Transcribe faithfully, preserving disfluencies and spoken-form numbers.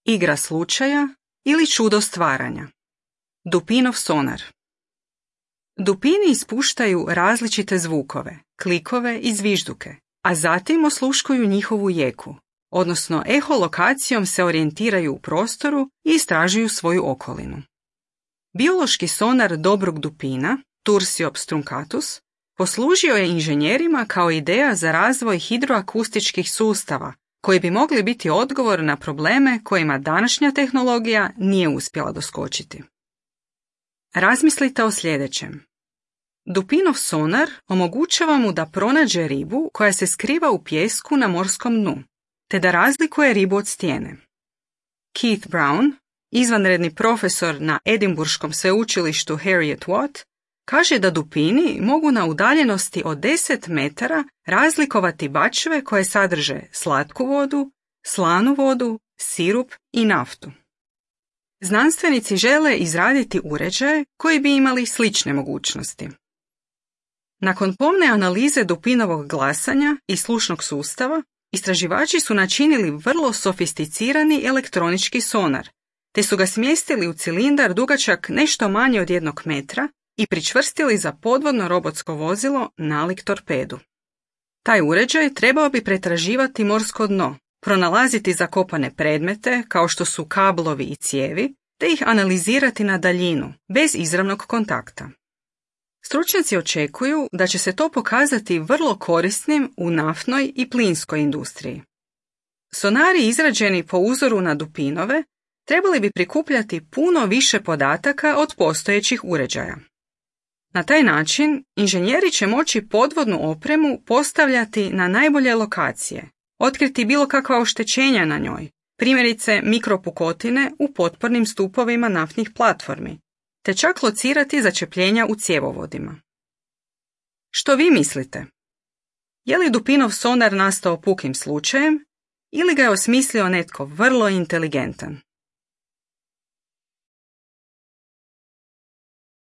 igra slučaja ili čudo stvaranja. Dupinov sonar. Dupini ispuštaju različite zvukove, klikove i zvižduke, a zatim osluškuju njihovu jeku, odnosno eholokacijom se orijentiraju u prostoru i istražuju svoju okolinu. Biološki sonar dobrog dupina, Tursiops truncatus, poslužio je inženjerima kao ideja za razvoj hidroakustičkih sustava, koji bi mogli biti odgovor na probleme kojima današnja tehnologija nije uspjela doskočiti. Razmislite o sljedećem. Dupinov sonar omogućava mu da pronađe ribu koja se skriva u pijesku na morskom dnu, te da razlikuje ribu od stijene. Keith Brown, izvanredni profesor na Edinburškom sveučilištu Heriot Watt, kaže da dupini mogu na udaljenosti od deset metara razlikovati bačve koje sadrže slatku vodu, slanu vodu, sirup i naftu. Znanstvenici žele izraditi uređaje koji bi imali slične mogućnosti. Nakon pomne analize dupinovog glasanja i slušnog sustava, istraživači su načinili vrlo sofisticirani elektronički sonar, te su ga smjestili u cilindar dugačak nešto manje od jednog metra i pričvrstili za podvodno robotsko vozilo nalik torpedu. Taj uređaj trebao bi pretraživati morsko dno, pronalaziti zakopane predmete kao što su kablovi i cijevi, te ih analizirati na daljinu, bez izravnog kontakta. Stručnjaci očekuju da će se to pokazati vrlo korisnim u naftnoj i plinskoj industriji. Sonari izrađeni po uzoru na dupinove trebali bi prikupljati puno više podataka od postojećih uređaja. Na taj način inženjeri će moći podvodnu opremu postavljati na najbolje lokacije, otkriti bilo kakva oštećenja na njoj, primjerice mikropukotine u potpornim stupovima naftnih platformi, te čak locirati začepljenja u cjevovodima. Što vi mislite? Je li Dupinov sonar nastao pukim slučajem ili ga je osmislio netko vrlo inteligentan?